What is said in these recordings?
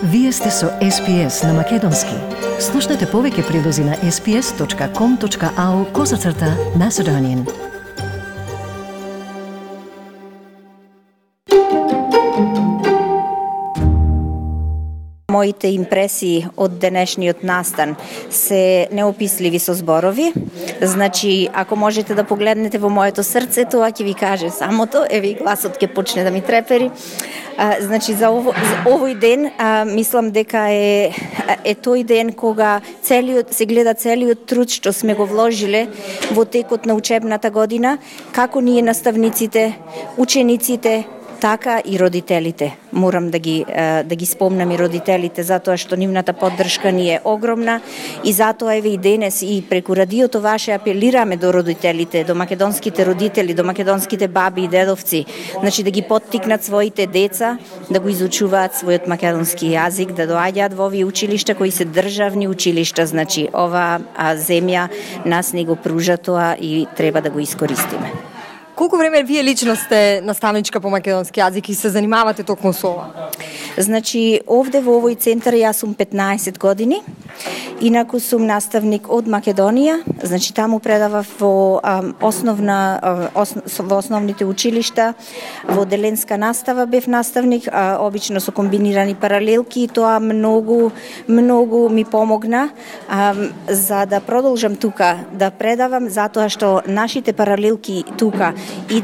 Вие сте со SPS на Македонски. Слушнете повеќе прилози на sps.com.au/Macedonian. Моите импресии од денешниот настан се неописливи со зборови. Значи, ако можете да погледнете во моето срце, тоа ќе ви каже самото, еве гласот ќе почне да ми трепери. Значи, за овој ден, мислам дека е тој ден кога се гледа целиот труд што сме го вложиле во текот на учебната година, како ние наставниците, учениците, така и родителите. Морам да ги спомнам и родителите, затоа што нивната поддршка ни е огромна и затоа еве и денес и преку радиото ваше апелираме до родителите, до македонските родители, до македонските баби и дедовци, значи да ги поттикнат своите деца да го изучуваат својот македонски јазик, да доаѓаат во овие училишта кои се државни училишта, значи ова земја нас ни го пружа тоа и треба да го искористиме. Колку време вие лично сте наставничка по македонски јазик и се занимавате токму со ова? Значи, овде во овој центар јас сум 15 години. Инаку сум наставник од Македонија, значи таму предавав во основните училишта, во деленска настава бев наставник, обично со комбинирани паралелки и тоа многу ми помогна за да продолжам тука да предавам, затоа што нашите паралелки тука и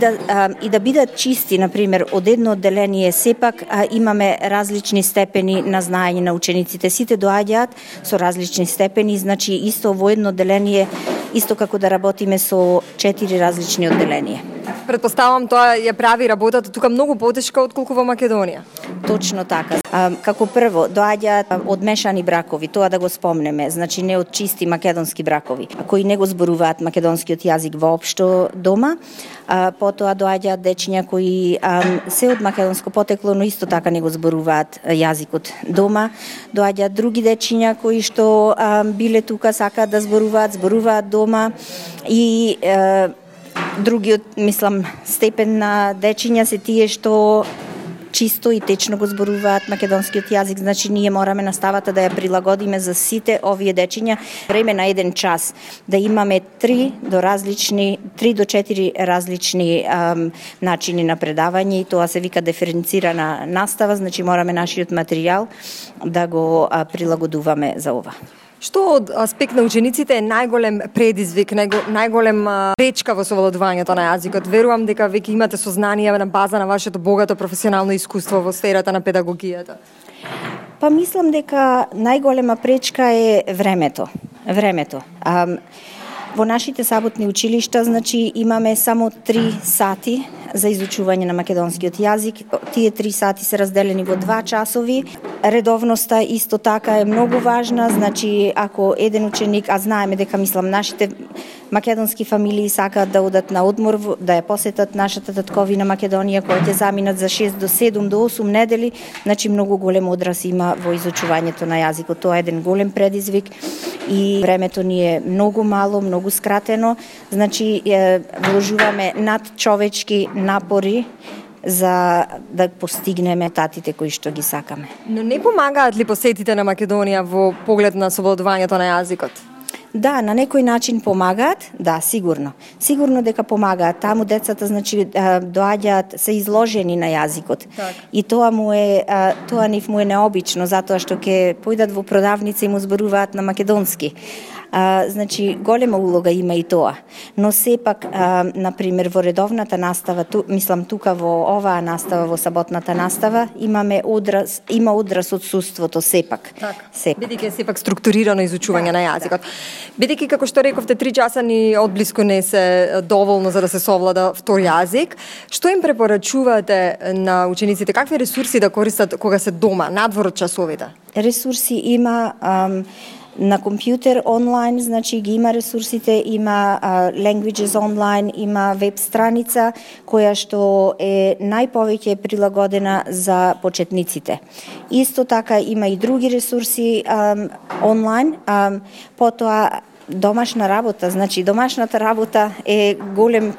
да бидат чисти, например, од едно одделение сепак имаме различни степени на знаење на учениците. Сите доаѓаат со различни степени, значи исто во едно одделение, исто како да работиме со 4 различни одделенија. Претпоставам тоа ја прави работата тука многу потешка отколку во Македонија. Точно така. Како прво, доаѓаат одмешани бракови, тоа да го спомнеме, значи не од чисти македонски бракови, кои не го зборуваат македонскиот јазик воопшто дома. Потоа доаѓаат дечиња кои се од македонско потекло, но исто така не го зборуваат јазикот дома. Доаѓаат други дечиња кои што биле тука, сакаат да зборуваат дома и другиот, мислам, степен на дечиња се тие што чисто и течно го зборуваат македонскиот јазик, значи ние мораме наставата да ја прилагодиме за сите овие дечиња. Време на еден час да имаме 3 до 4 различни начини на предавање и тоа се вика диференцирана настава, значи мораме нашиот материјал да го прилагодуваме за ова. Што од аспект на учениците е најголем предизвик, најголем пречка во совладувањето на јазикот? Верувам дека веќе имате сознание на база на вашето богато професионално искуство во сферата на педагогијата. Па мислам дека најголема пречка е времето. Во нашите саботни училишта, значи, имаме само 3 сати за изучување на македонскиот јазик. Тие 3 сати се разделени во 2 часови. Редовноста исто така е многу важна, значи ако еден ученик, а знаеме дека нашите македонски фамилии сакаат да одат на одмор, да ја посетат нашата татковина Македонија, која ќе заминат за 6 до 7 до 8 недели, значи многу голем одраз има во изучувањето на јазикот. Тоа е еден голем предизвик и времето ни е многу мало, многу скратено, значи вложуваме надчовечки напори за да постигнеме татите кои што ги сакаме. Но не помагаат ли посетите на Македонија во поглед на совладувањето на јазикот? Да, на некој начин помагаат, да, сигурно. Сигурно дека помагаат. Таму децата, значи, доаѓаат, се изложени на јазикот. Так. И тоа нив му е необично, затоа што ќе појдат во продавница и му зборуваат на македонски. Значи, голема улога има и тоа. Но сепак, например, во редовната настава, тука во оваа настава, во саботната настава, има одраз одсуството сепак. Бидејќи е сепак структурирано изучување на јазикот. Бидејќи, како што рековте, 3 часа ни одблиску не се доволно за да се совлада втор јазик, што им препорачувате на учениците? Какви ресурси да користат кога се дома, надвор од часовите? Ресурси има на компјутер онлайн, значи ги има ресурсите, има Languages онлайн, има веб страница која што е најповеќе прилагодена за почетниците. Исто така има и други ресурси онлайн, потоа Домашна работа, значи домашната работа е голем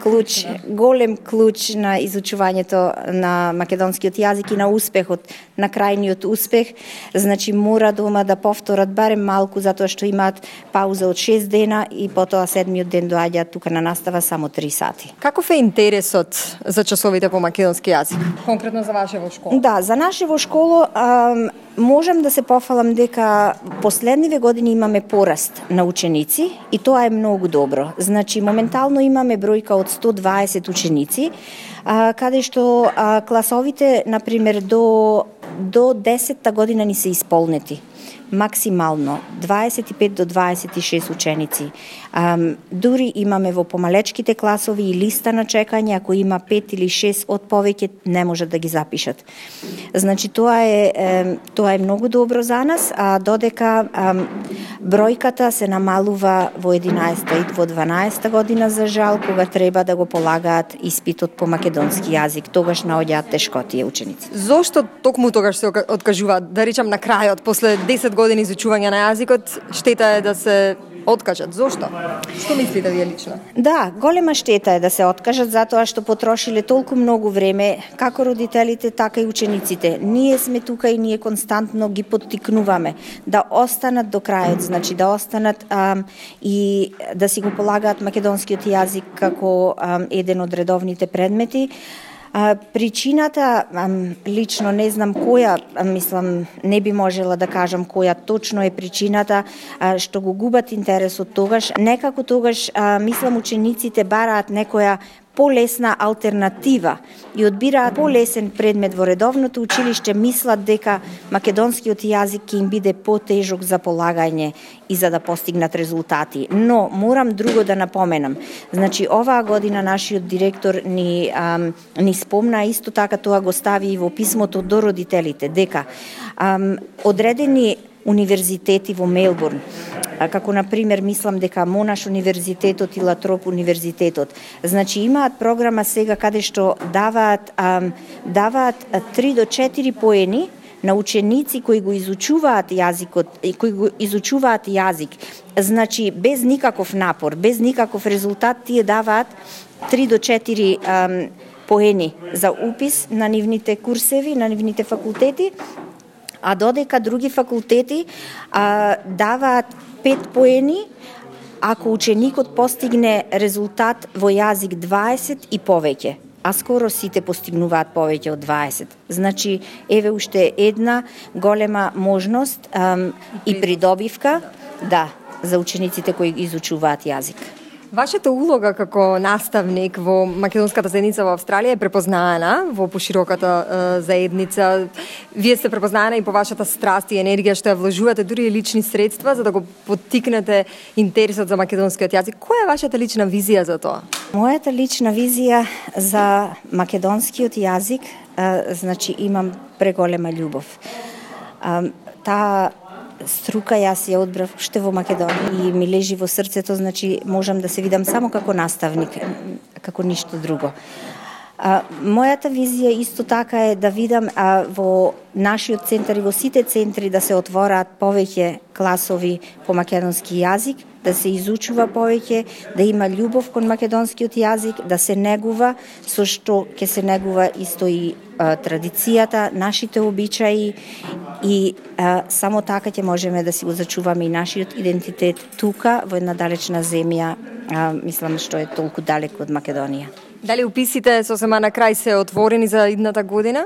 клуч на изучувањето на македонскиот јазик и на успехот, на крајниот успех. Значи мора дома да повторат барем малку затоа што имаат пауза од 6 дена и потоа седмиот ден доаѓаат тука на настава само 3 сати. Каков е интересот за часовите по македонски јазик? Конкретно за вашево школа? Да, за нашево школо можам да се пофалам дека последниве години имаме пораст на ученици и тоа е многу добро. Значи, моментално имаме бројка од 120 ученици, каде што класовите, например, до 10-та година ни се исполнети. Максимално 25 до 26 ученици. Дури имаме во помалечките класови и листа на чекање, ако има 5 или 6 од повеќе не можат да ги запишат. Значи тоа е многу добро за нас, а додека бројката се намалува во 11-та и во 12-та година за жал, кога треба да го полагаат испитот по македонски јазик, тогаш наоѓаат тешкотија ученици. Зошто токму тогаш се откажуваат, да речам на крајот, после 10 години изучување на јазикот, штета е да се откажат. Зошто? Што мислите вие лично? Да, голема штета е да се откажат затоа што потрошиле толку многу време, како родителите, така и учениците. Ние сме тука и ние константно ги поттикнуваме да останат до крајот, значи да останат и да си го полагаат македонскиот јазик како еден од редовните предмети. Причината, лично не знам која, мислам, не би можела да кажам која точно е причината што го губат интересот тогаш. Некако тогаш, мислам, учениците бараат некоја полесна алтернатива и одбираат полесен предмет во редовното училиште, мислат дека македонскиот јазик ќе им биде потежок за полагање и за да постигнат резултати. Но морам друго да напоменам. Значи оваа година нашиот директор ни спомна, исто така тоа го стави и во писмото до родителите, дека одредени универзитети во Мелбурн, како например мислам дека Монаш универзитетот и Латроп универзитетот, значи имаат програма сега каде што даваат 3 до 4 поени на ученици кои го изучуваат јазикот и кои го изучуваат јазик. Значи без никаков напор, без никаков резултат, тие даваат 3 до 4 поени за упис на нивните курсеви, на нивните факултети, а додека други факултети даваат 5 поени ако ученикот постигне резултат во јазик 20 и повеќе, а скоро сите постигнуваат повеќе од 20. Значи, еве уште една голема можност и придобивка за учениците кои изучуваат јазик. Вашата улога како наставник во македонската заедница во Австралија е препознаена во пошироката заедница. Вие сте препознаена и по вашата страст и енергија што ја вложувате дури и лични средства за да го поттикнете интересот за македонскиот јазик. Која е вашата лична визија за тоа? Мојата лична визија за македонскиот јазик, значи имам преголема љубов. Таа струка јас ја одбрав уште во Македонија и ми лежи во срцето, значи можам да се видам само како наставник, како ништо друго. Мојата визија исто така е да видам во нашиот центар и во сите центри да се отвораат повеќе класови по македонски јазик, да се изучува повеќе, да има љубов кон македонскиот јазик, да се негува, со што ќе се негува исто и традицијата, нашите обичаи и само така ќе можеме да си го зачуваме и нашиот идентитет тука во една далечна земја, мислам што е толку далеко од Македонија. Дали уписите сосема на крај се отворени за идната година?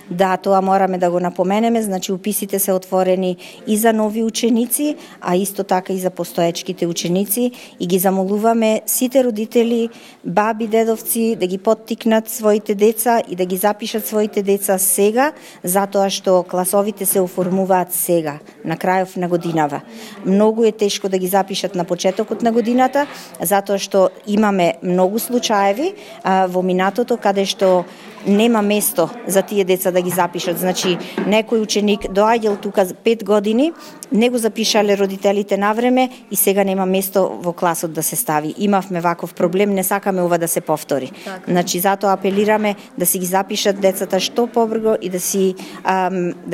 Да, тоа мораме да го напоменеме, значи уписите се отворени и за нови ученици, а исто така и за постоечките ученици и ги замолуваме сите родители, баби, дедовци да ги поттикнат своите деца и да ги запишат своите деца сега, затоа што класовите се оформуваат сега, на крајов на годинава. Многу е тешко да ги запишат на почетокот на годината, затоа што имаме многу случаеви во минатото каде што нема место за тие деца да ги запишат. Значи, некој ученик доаѓал тука 5 години, не го запишале родителите на време и сега нема место во класот да се стави. Имавме ваков проблем, не сакаме ова да се повтори. Така. Значи, затоа апелираме да си ги запишат децата што побрзо и да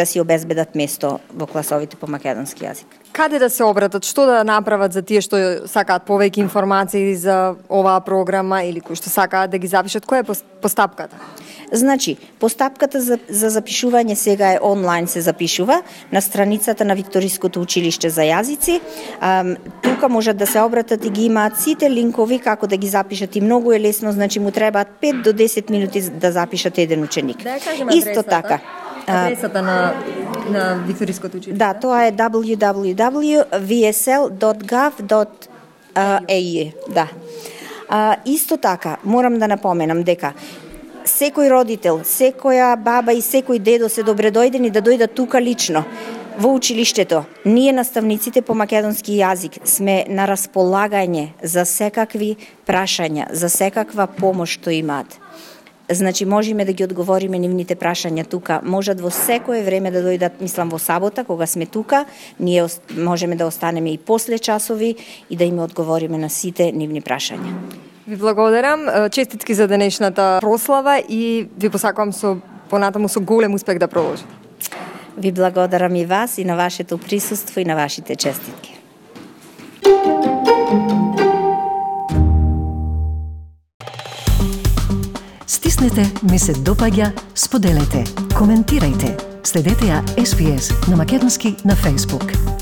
си обезбедат место во класовите по македонски јазик. Каде да се обратат, што да направат за тие што сакаат повеќе информации за оваа програма или кои што сакаат да ги запишат? Која е постапката? Значи, постапката за запишување сега е онлайн се запишува на страницата на Викториското училиште за јазици. Тука можат да се обратат и ги имаат сите линкови како да ги запишат и многу е лесно, значи му требаат 5 до 10 минути да запишат еден ученик. Да ја кажем Исто така. Адресата на Викториското училиште? Да, тоа е www.vsl.gov.au. Да. Исто така, морам да напоменам дека секој родител, секоја баба и секој дедо се добредојдени да дојдат тука лично во училиштето. Ние наставниците по македонски јазик сме на располагање за секакви прашања, за секаква помош што имаат. Значи, можеме да ги одговориме нивните прашања тука. Можат во секое време да дојдат, мислам во сабота, кога сме тука, ние можеме да останеме и после часови и да им одговориме на сите нивни прашања. Ви благодарам, честитки за денешната прослава и ви посакувам понатаму со голем успех да продолжите. Ви благодарам и вас и на вашето присуство и на вашите честитки. Стиснете, ми се допаѓа, споделете, коментирајте. Следете ја SPS на македонски на Facebook.